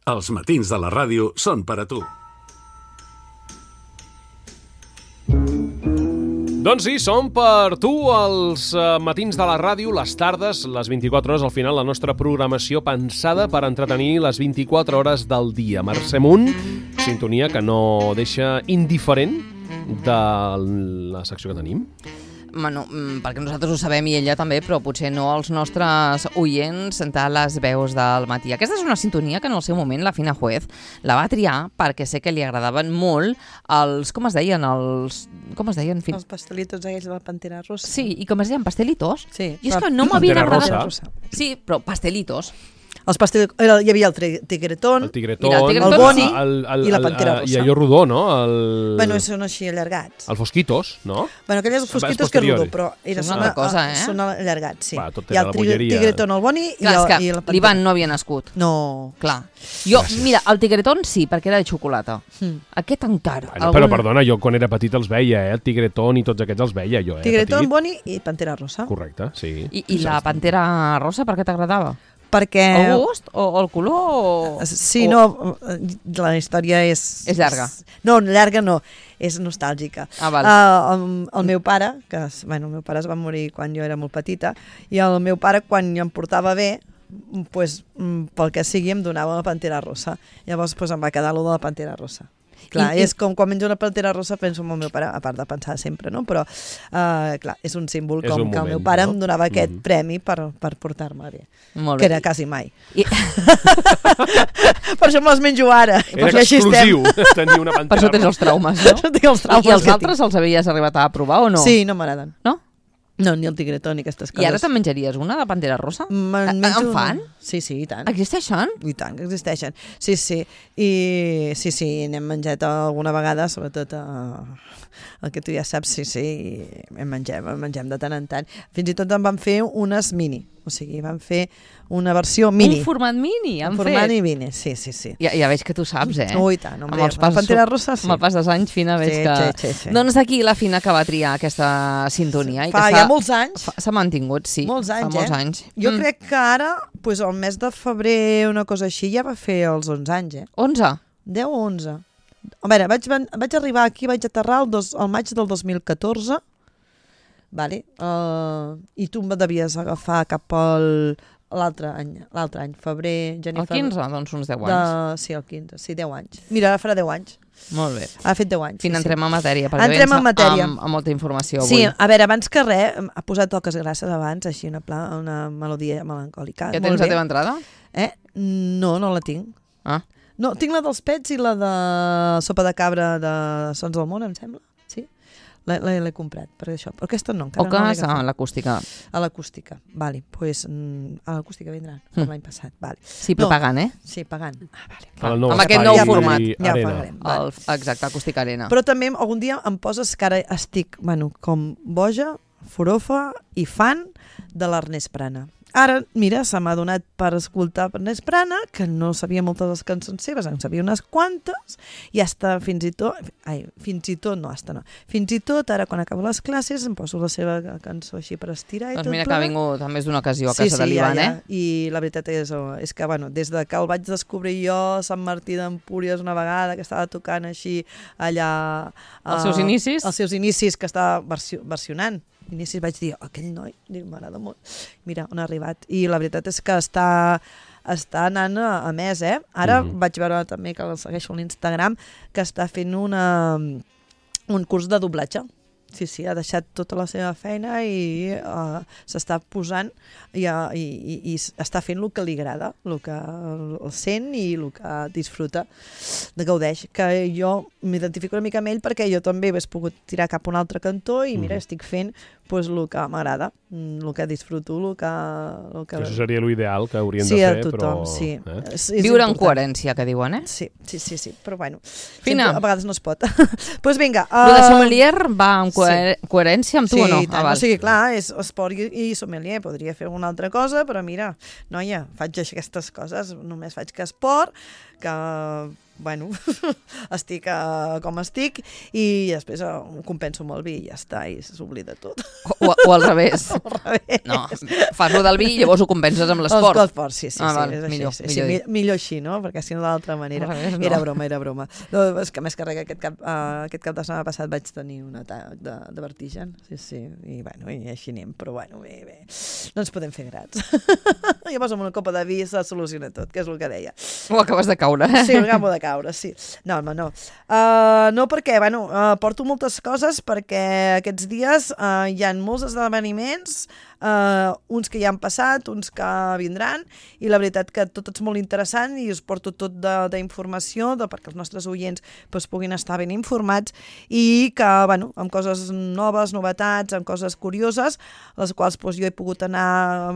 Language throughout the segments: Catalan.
Els matins de la ràdio són per a tu. Doncs sí, som per tu els matins de la ràdio, les tardes, les 24 hores, al final la nostra programació pensada per entretenir les 24 hores del dia. Mercè Munt, sintonia que no deixa indiferent de la secció que tenim. Bueno, perquè nosaltres ho sabem i ella també, però potser no els nostres oients de les veus del matí. Aquesta és una sintonia que en el seu moment la Fina Juez la va triar perquè sé que li agradaven molt els, com es deien? Els pastelitos aquells de la Pantera Rosa. Sí, i com es deien? Pastelitos? Sí. I és que no m'havien agradat. Rosa. Sí, però pastelitos. Els pastelitos, hi havia el tigretón, el boni i la Pantera Rosa. I allò rodó, no? Bueno, són així allargats. El Fosquitos, no? Bueno, aquells fosquitos que és rodó, però són una cosa, són allargats, sí. Va, tot hi ha era el la bolleria. tigretón, el boni i la Pantera. L'Ivan no havia nascut. No. Clar. Jo, mira, el tigretón sí, perquè era de xocolata. Aquest encara. Bueno, però perdona, jo quan era petit els veia, el tigretón i tots aquests els veia jo, Tigretón, petit. boni i Pantera Rosa. Correcte, sí. I la Pantera Rosa per què t'agradava? Perquè... El gust o el color? Sí, no, la història és... És llarga. No, llarga no, és nostàlgica. Ah, val. El meu pare, el meu pare es va morir quan jo era molt petita, i el meu pare, quan em portava bé, pues, pel que sigui, em donava la Pantera Rosa. Llavors pues, em va quedar allò de la Pantera Rosa. Clar, és com quan menjo una Pantera Rosa penso en el meu pare, a part de pensar sempre, no? Però, clar, és un símbol com que el meu pare em donava aquest premi per portar-me bé. Molt bé. Que era quasi mai. Per això me les menjo ara. Era exclusiu tenir una Pantera Rosa. Per això tens els traumes, no? I els altres els havies arribat a provar o no? Sí, no m'agraden. No? No, ni el tigretón ni aquestes coses. I ara te'n menjaries una de Pantera Rosa? En fan? Sí, i tant. Existeixen? I tant que existeixen. Sí. I sí, n'hem menjat alguna vegada, sobretot el que tu ja saps, sí, en mengem de tant en tant. Fins i tot en van fer unes mini, o sigui, van fer una versió mini. Un format mini, han fet? Un format mini, sí. Ja veig que tu saps, Oh, i tant, amb la Pantera Rosa, sí. Amb el pas dels anys, Fina, veig que... Sí. Doncs aquí la Fina que va triar aquesta sintonia. Fa ja molts anys. S'ha mantingut, sí. Molts anys, fa molts anys. Jo crec que ara, pues, el mes de febrer, una cosa així, ja va fer els 11 anys, 11? 10 o 11. A veure, vaig arribar aquí, vaig aterrar el maig del 2014, vale? I tu em devies agafar cap l'altre any, febrer, gener... El 15, doncs uns 10 anys. Sí, el 15, sí, 10 anys. Mira, farà 10 anys. Molt bé. Ha fet 10 anys. Fins entrem en matèria, perquè entrem en matèria. Amb molta informació avui. Sí, a veure, abans que res, ha posat toques grasses abans, així una melodia melancòlica. Ja tens la teva entrada? No la tinc. Ah. No, tinc la dels pets i la de sopa de cabra de Sons del Món, em sembla. Sí? L'he comprat, per això. Però aquesta no, encara no l'he agafat. A l'acústica. A l'acústica, vale. Pues, a l'acústica vindran, per l'any passat. Vale. Sí, però pagant, eh? Sí, pagant. Vale. Amb aquest nou format. Ja pagarem. Vale. Exacte, acústica arena. Però també algun dia em poses que ara estic, com boja, forofa i fan de l'Ernest Prana. Ara, mira, se m'ha donat per escoltar Ernest Prana, que no sabia moltes de les cançons seves, en sabia unes quantes, i hasta fins i tot, ara quan acabo les classes em poso la seva cançó així per estirar i tot. Doncs mira que ha vingut a més d'una ocasió a casa de l'Ivan, I la veritat és que, des de que el vaig descobrir jo a Sant Martí d'Empúries una vegada, que estava tocant així allà... Els seus inicis? Els seus inicis, que estava versionant. Inicis vaig dir, aquell noi, m'agrada molt. Mira, on ha arribat. I la veritat és que està anant a més, eh? Ara vaig veure també, que el segueixo a l'Instagram, que està fent un curs de doblatge. Sí, ha deixat tota la seva feina i s'està posant i està fent el que li agrada, el que el sent i el que disfruta, gaudeix. Que jo m'identifico una mica amb ell perquè jo també hauria pogut tirar cap a un altre cantó i mira, estic fent el que m'agrada, el que disfruto, el que... Això seria l'ideal que haurien de fer, tothom, però... Sí. Viure en coherència, que diuen, eh? Sí, però bueno, Fina. A vegades no es pot. Doncs vinga. Lo de sommelier va en coherència amb tu o no? Sí, tant. O sigui, clar, és esport i sommelier, podria fer una altra cosa, però mira, noia, faig aquestes coses, només faig que esport, que bueno, estic com estic i després ho compenso amb el vi i ja està, i s'oblida tot. O al revés. Al revés. No, fas lo del vi i llavors ho compenses amb l'esport. L'esport, sí, és així. Millor Així, no? Perquè si no d'altra manera. No. Era broma. No, és que més que res, aquest cap de setmana passat vaig tenir un atac de vertigen, sí, i bueno, i així anem, però bueno, bé. No ens podem fer grats. Llavors amb una copa de vi se soluciona tot, que és el que deia. O acabes de caure. Sí, acabo de caure, sí. No, home, no. No perquè, bueno, porto moltes coses perquè aquests dies hi ha molts esdeveniments, uns que ja han passat, uns que vindran, i la veritat que tot és molt interessant i us porto tot d'informació perquè els nostres oients puguin estar ben informats i que, bueno, amb coses noves, novetats, amb coses curioses, les quals jo he pogut anar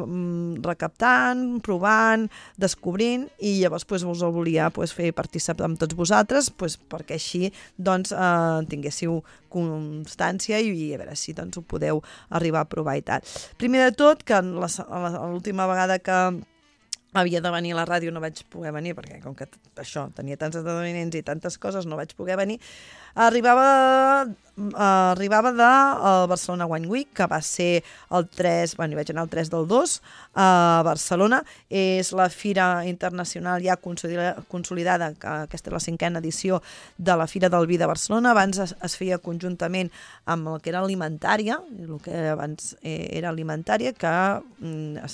recaptant, provant, descobrint, i llavors us ho volia fer participar amb tots vosaltres perquè així tinguéssiu constància i a veure si ho podeu arribar a provar i tal. Primer de tot, que l'última vegada que havia de venir a la ràdio no vaig poder venir, perquè com que això, tenia tants esdeveniments i tantes coses, no vaig poder venir. Arribava del Barcelona Wine Week, que va ser el 3, hi vaig anar el 3 del 2 a Barcelona. És la fira internacional ja consolidada, que aquesta és la 5a edició de la Fira del Vi de Barcelona. Abans es feia conjuntament amb el que era alimentària, el que abans era alimentària, que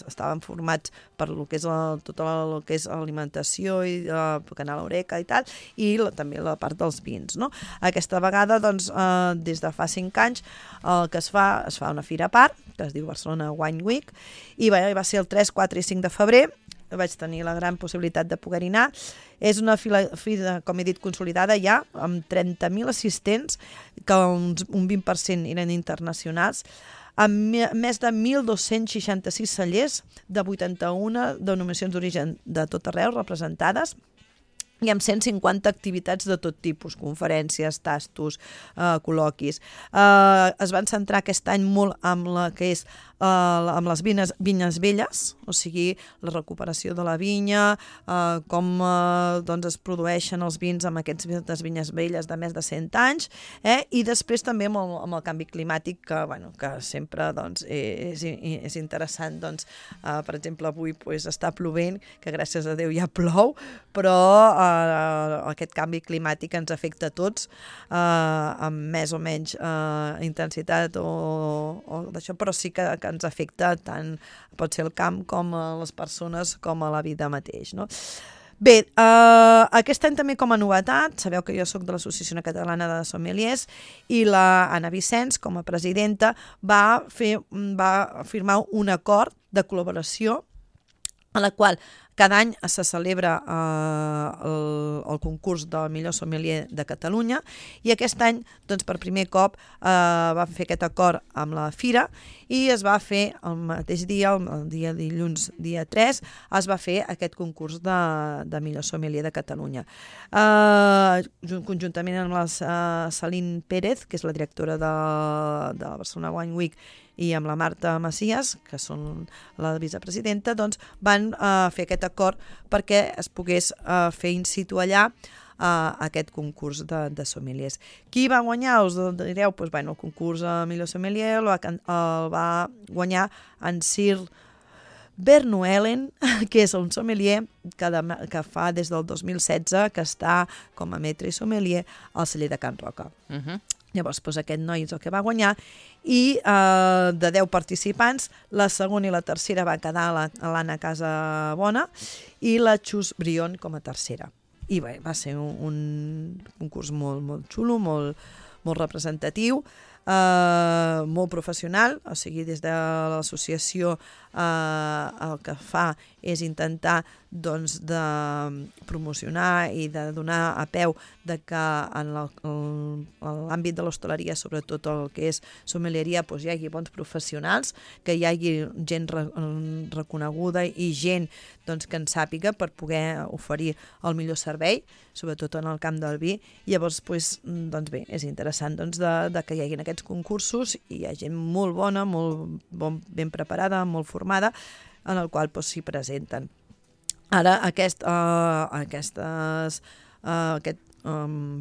estaven formats per el que és tot el que és alimentació i Canal Oreca i tal, i també la part dels vins, no? Aquesta vegada, des de fa 5 anys, el que es fa una fira a part, que es diu Barcelona Wine Week, i va ser el 3, 4 i 5 de febrer. Vaig tenir la gran possibilitat de poder-hi anar. És una fira, com he dit, consolidada ja, amb 30.000 assistents, que un 20% eren internacionals, amb més de 1.266 cellers de 81 denominacions d'origen de tot arreu representades, i amb 150 activitats de tot tipus, conferències, tastos, col·loquis. Es van centrar aquest any molt amb la que és amb les vinyes velles, o sigui, la recuperació de la vinya, com es produeixen els vins amb aquestes vinyes velles de més de 100 anys, i després també amb el canvi climàtic, que sempre és interessant. Per exemple, avui està plovent, que gràcies a Déu ja plou, però aquest canvi climàtic ens afecta a tots, amb més o menys intensitat o d'això, però sí que ens afecta tant, pot ser el camp com a les persones com a la vida mateix, no? Bé, aquest any també com a novetat, sabeu que jo soc de l'Associació Catalana de Sommeliers, i la Anna Vicenç, com a presidenta, va firmar un acord de col·laboració en la qual cada any se celebra el concurs del millor sommelier de Catalunya, i aquest any, per primer cop, va fer aquest acord amb la Fira i es va fer el mateix dia, el dia dilluns, dia 3, es va fer aquest concurs de millor sommelier de Catalunya. Conjuntament amb la Celine Pérez, que és la directora de la Barcelona Wine Week, i amb la Marta Macias, que són la vicepresidenta, van fer aquest acord perquè es pogués fer in situ allà aquest concurs de sommeliers. Qui va guanyar? Us direu, el concurs de millor sommelier el va guanyar en Sir Vernuelen, que és un sommelier que fa des del 2016 que està com a maître sommelier al celler de Can Roca. Llavors, aquest noi és el que va guanyar, i de 10 participants, la segona i la tercera va quedar l'Anna Casabona i la Xus Brion com a tercera. I bé, va ser un concurs molt xulo, molt representatiu, molt professional, o sigui, des de l'associació el que fa és intentar de promocionar i de donar a peu que en l'àmbit de l'hostaleria, sobretot el que és sommelieria, hi hagi bons professionals, que hi hagi gent reconeguda i gent que en sàpiga per poder oferir el millor servei, sobretot en el camp del vi. Llavors, bé, és interessant que hi hagi aquests concursos i hi ha gent molt bona, molt ben preparada, molt formada, en el qual s'hi presenten. Ara, aquestes aquest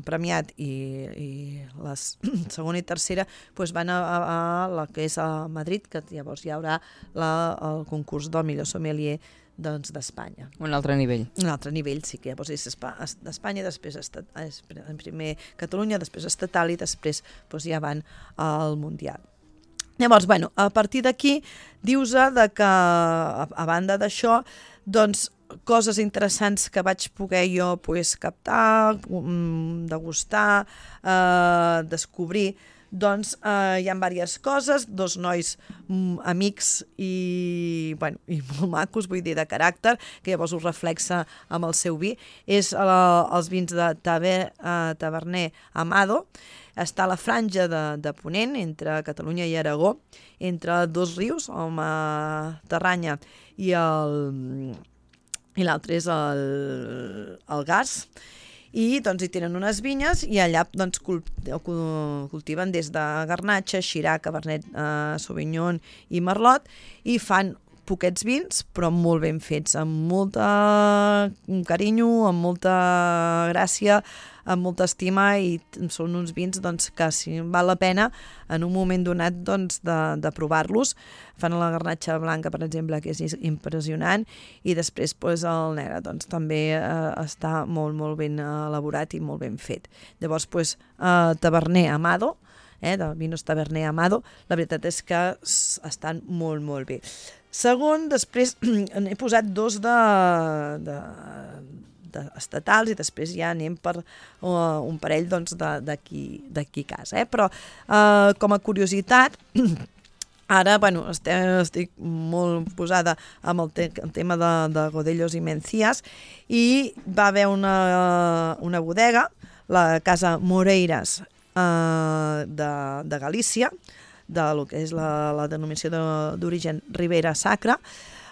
premiat i la segona i tercera van a la que és a Madrid, que llavors hi haurà el concurs del millor sommelier d'Espanya. Un altre nivell. Un altre nivell, sí, que llavors és d'Espanya, després primer Catalunya, després estatal i després ja van al Mundial. Llavors, a partir d'aquí, dius-se que, a banda d'això, coses interessants que vaig poder jo captar, degustar, descobrir, hi ha diverses coses, 2 nois amics i molt macos, vull dir, de caràcter, que llavors ho reflexa amb el seu vi. És els vins de Taverner Amado. Està a la franja de Ponent, entre Catalunya i Aragó, entre 2 rius, el Matarranya i l'altre és el Gas. I hi tenen unes vinyes i allà cultiven des de Garnatxa, Shiraz, Cabernet Sauvignon i Merlot i fan poquets vins, però molt ben fets, amb molt carinyo, amb molta gràcia, amb molta estima, i són uns vins que sí, val la pena en un moment donat de provar-los. Fan la garnatxa blanca, per exemple, que és impressionant, i després el negre també està molt, molt ben elaborat i molt ben fet. Llavors, Taverner Amado, de Vinos Taverner Amado, la veritat és que estan molt, molt bé. Segon, després n'he posat 2 estatals i després ja anem per un parell d'aquí a casa. Però com a curiositat, ara estic molt posada amb el tema de Godellos i Mencías, i va haver una bodega, la Casa Moreiras de Galícia, de lo que és la denominació d'origen Ribera Sacra,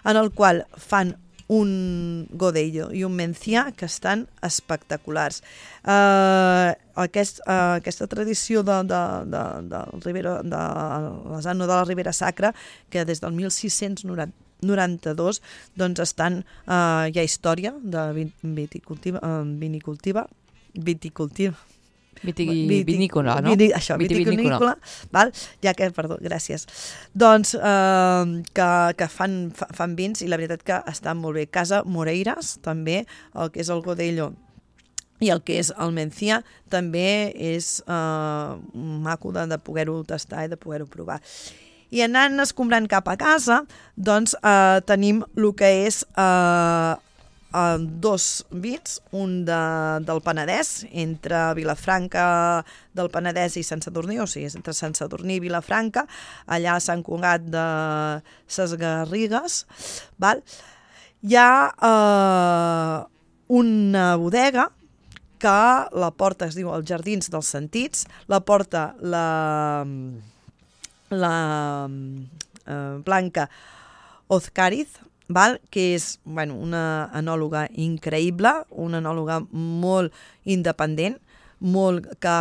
en el qual fan un Godello i un Mencià que estan espectaculars. Aquesta tradició de l'Asano de la Ribera Sacra, que des del 1692 estan, hi ha història de vinicultiva, Vitivinícola, no? Això, vitivinícola, val? Ja que, perdó, gràcies. Que fan vins i la veritat que estan molt bé. Casa Moreiras, també, el que és el Godello i el que és el Mencià, també és maco de poder-ho tastar i de poder-ho provar. I anant escombrant cap a casa, tenim el que és 2 vins, un del Penedès, entre Vilafranca del Penedès i Sant Sadurní, o sigui, entre Sant Sadurní i Vilafranca, allà a Sant Cugat de ses Garrigues. Hi ha una bodega que la porta, es diu els Jardins dels Sentits, la porta la Blanca Ozcariz, que és una enòloga increïble, una enòloga molt independent, molt que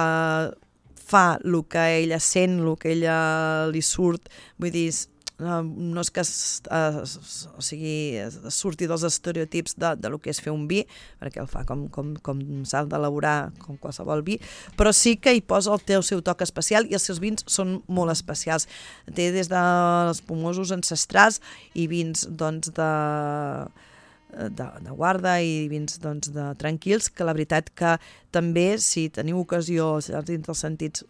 fa el que ella sent, el que ella li surt, vull dir, no és que surti dels estereotips de lo que és fer un vi, perquè el fa com s'ha d'elaborar com qualsevol vi, però sí que hi posa el seu toc especial, i els seus vins són molt especials. Té des dels espumosos ancestrals i vins de guarda i vins tranquils, que la veritat que també, si teniu ocasió dins dels sentits,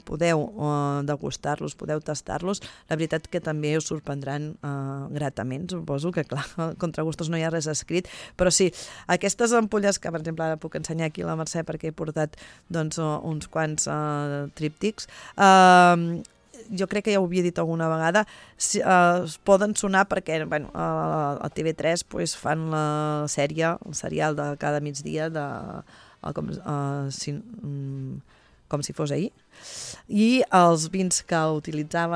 podeu degustar-los, podeu tastar-los, la veritat que també us sorprendran gratament. Suposo que, clar, contra gustos no hi ha res escrit, però sí, aquestes ampolles que, per exemple, ara puc ensenyar aquí a la Mercè perquè he portat uns quants tríptics, jo crec que ja ho havia dit alguna vegada, poden sonar perquè a TV3 fan la sèrie, el serial de cada migdia com si fos ahir, i els vins que utilitzen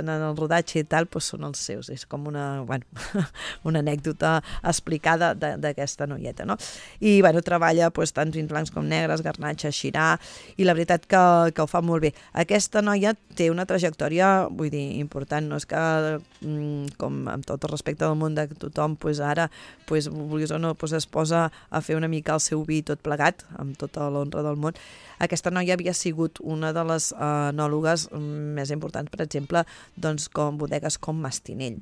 en el rodatge i tal, doncs són els seus. És com una anècdota explicada d'aquesta noieta, no? I treballa tant vins blancs com negres, garnatxa, xirà, i la veritat que ho fa molt bé. Aquesta noia té una trajectòria, vull dir, important, no és que, com amb tot el respecte del món de tothom, ara, vulguis o no, es posa a fer una mica el seu vi tot plegat, amb tota l'honra del món. Aquesta noia havia sigut una de les enòlogues més importants, per exemple, com bodegues com Mastinell.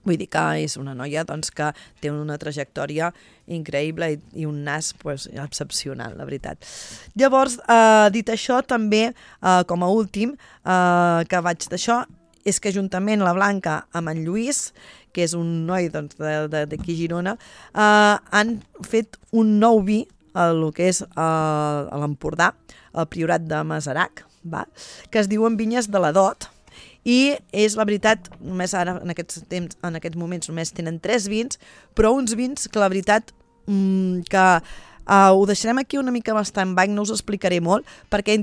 Vull dir que és una noia que té una trajectòria increïble i un nas excepcional, la veritat. Llavors, dit això, també, com a últim, que vaig d'això, és que juntament la Blanca amb en Lluís, que és un noi d'aquí a Girona, han fet un nou vi, el que és a l'Empordà, el Priorat de Masarac, que es diuen Vinyes de la Dot, i és la veritat, només ara en aquests moments només tenen 3 vins, però uns vins que la veritat que ho deixarem aquí una mica bastant baix, no us explicaré molt, perquè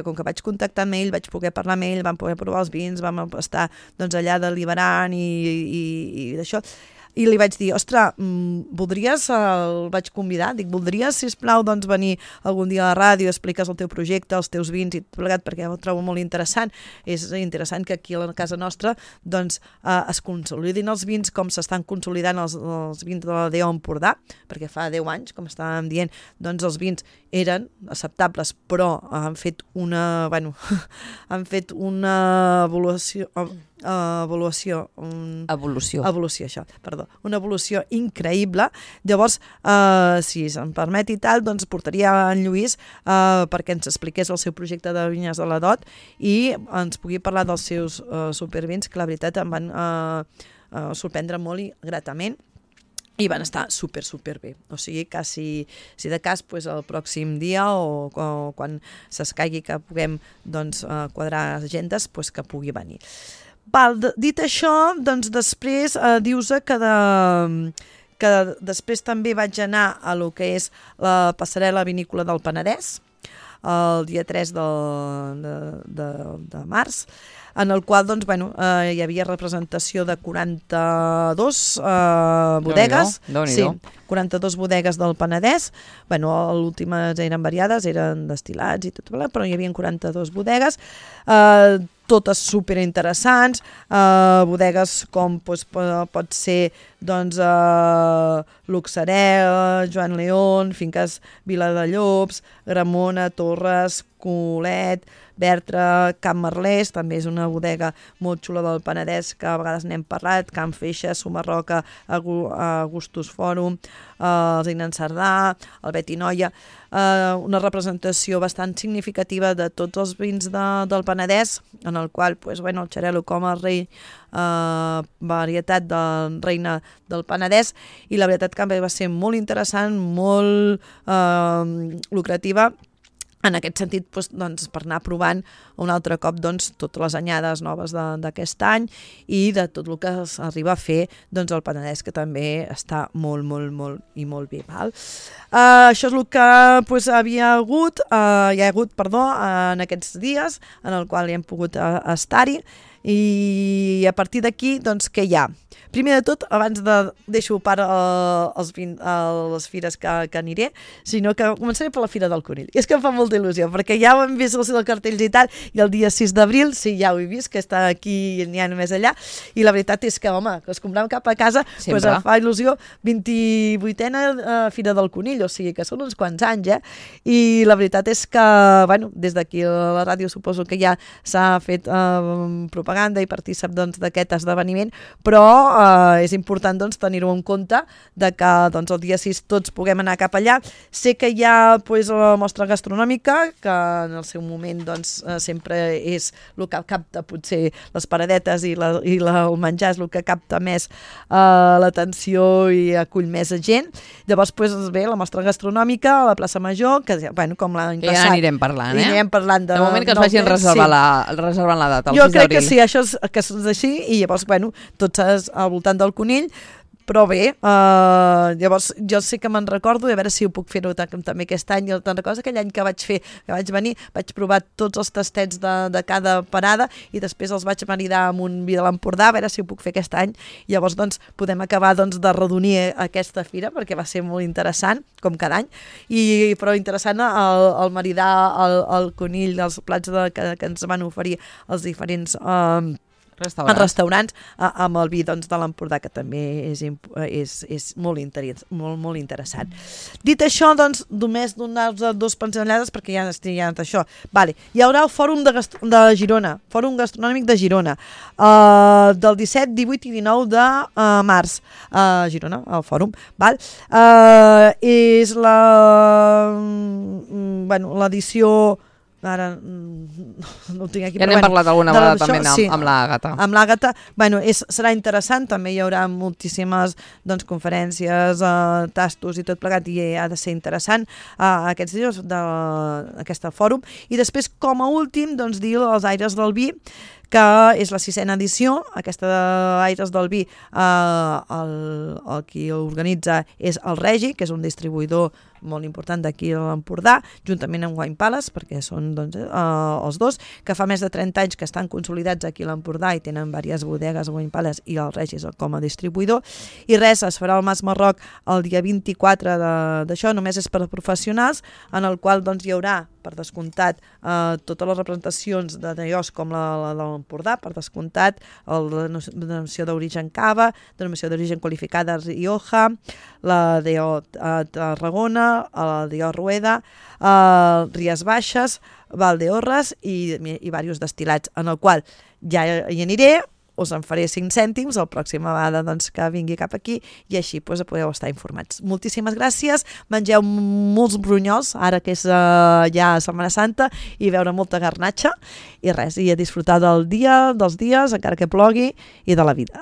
com que vaig contactar amb ell, vaig poder parlar amb ell, vam poder provar els vins, vam estar allà deliberant i d'això. I li vaig dir, ostres, el vaig convidar, voldries, sisplau, venir algun dia a la ràdio, expliques el teu projecte, els teus vins i tot plegat, perquè ho trobo molt interessant. És interessant que aquí a la casa nostra es consolidin els vins com s'estan consolidant els vins de la DO Empordà, perquè fa 10 anys, com estàvem dient, els vins eren acceptables, però han fet una una evolució increïble. Llavors, si se'm permet i tal, portaria en Lluís perquè ens expliqués el seu projecte de Vinyes de la Dot i ens pugui parlar dels seus supervins, que la veritat em van sorprendre molt i gratament. I van estar super bé. O sigui que si de cas el pròxim dia o quan s'escaigui que puguem quadrar agendes, que pugui venir. Dit això, després dius que després també vaig anar a lo que és la passarel·la vinícola del Penedès, el dia 3 de març, en el qual hi havia representació de 42 bodegues. Sí, 42 bodegues del Penedès. Les últimes eren variades, eren destil·lats i tot, però hi havia 42 bodegues, totes superinteressants, bodegues com pot ser Luxarel, Joan León, Finques Viladallops, Gramona, Torres, Colet, Bertra, Camp Merlès, també és una bodega molt xula del Penedès, que a vegades n'hem parlat, Camp Feixa, Sumarroca, Augustus Fòrum, el Zinan Cerdà, el Betinoia, una representació bastant significativa de tots els vins del Penedès, en el qual el Xarel·lo com a rei, varietat de reina del Penedès, i la veritat que va ser molt interessant, molt lucrativa, en aquest sentit, per anar provant un altre cop totes les anyades noves d'aquest any i de tot el que s'arriba a fer al Penedès, que també està molt bé. Això és el que hi ha hagut en aquests dies, en el qual hi hem pogut estar-hi, i a partir d'aquí, què hi ha? Primer de tot, abans deixo a part les fires que aniré, sinó que començaré per la Fira del Conill. I és que em fa molta il·lusió, perquè ja ho hem vist els cartells i tal, i el dia 6 d'abril, sí, ja ho he vist, que està aquí i n'hi ha només allà, i la veritat és que, home, que es comprem cap a casa, em fa il·lusió, 28a Fira del Conill, o sigui que són uns quants anys, i la veritat és que, des d'aquí a la ràdio suposo que ja s'ha fet propaganda i partícip d'aquest esdeveniment, però és important tenir-ho en compte de que el dia 6 tots puguem anar cap allà. Sé que hi ha la mostra gastronòmica, que en el seu moment sempre és el que capta potser les paradetes i el menjar és el que capta més l'atenció i acull més gent. Llavors ve la mostra gastronòmica a la plaça Major, que com l'any passat. Ja anirem parlant, de moment que es vagin reservant la data. Jo crec que sí, això és així, i llavors tots al voltant del Conill, Però bé, llavors jo sé que me'n recordo, i a veure si ho puc fer-ho també aquest any. Jo te'n recordo aquell any que vaig venir, vaig provar tots els tastets de cada parada i després els vaig maridar amb un vi de l'Empordà, a veure si ho puc fer aquest any. Llavors doncs podem acabar de redonir aquesta fira, perquè va ser molt interessant, com cada any, però interessant el maridar el conill, els plats que ens van oferir els diferents restaurants amb el vi de l'Empordà, que també és molt interessant. Dit això, doncs, només donar-vos dues pinzellades perquè ja estic d'això. Vale. Hi haurà el Fòrum de Girona, Fòrum Gastronòmic de Girona, del 17, 18 i 19 de març a Girona, al Fòrum. Val? És l'edició... Ara no ho tinc aquí. Ja n'hem parlat alguna vegada també amb l'Àgata. Amb l'Àgata, serà interessant, també hi haurà moltíssimes conferències, tastos i tot plegat, i ha de ser interessant aquests dies d'aquest fòrum. I després, com a últim, dir els Aires del Vi, que és la 6a edició. Aquesta d'Aires del Vi, el qui organitza és el Regi, que és un distribuïdor molt important d'aquí a l'Empordà, juntament amb Wine Palace, perquè són els dos, que fa més de 30 anys que estan consolidats aquí a l'Empordà i tenen diverses bodegues, Wine Palace i el Regis com a distribuïdor. I res, es farà al Mas Marroc el dia 24 d'això, només és per a professionals, en el qual hi haurà, per descomptat, totes les representacions de negocis com la de l'Empordà, per descomptat, la denominació d'origen Cava, denominació d'origen qualificada Rioja, la de Tarragona, la de Rueda, Ries Baixes, Valdeorras i diversos destil·lats, en el qual ja hi aniré, us en faré 5 cèntims la pròxima vegada que vingui cap aquí, i així podeu estar informats. Moltíssimes gràcies, mengeu molts brunyols, ara que és ja Setmana Santa, i veure molta garnatxa, i res, i a disfrutar dels dies, encara que plogui, i de la vida.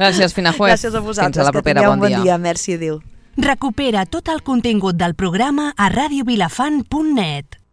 Gràcies, Fina Juez. Gràcies a vosaltres, fins a la propera, que tingueu un bon dia. Merci, adéu. Recupera tot el contingut del programa a radiovilafant.net.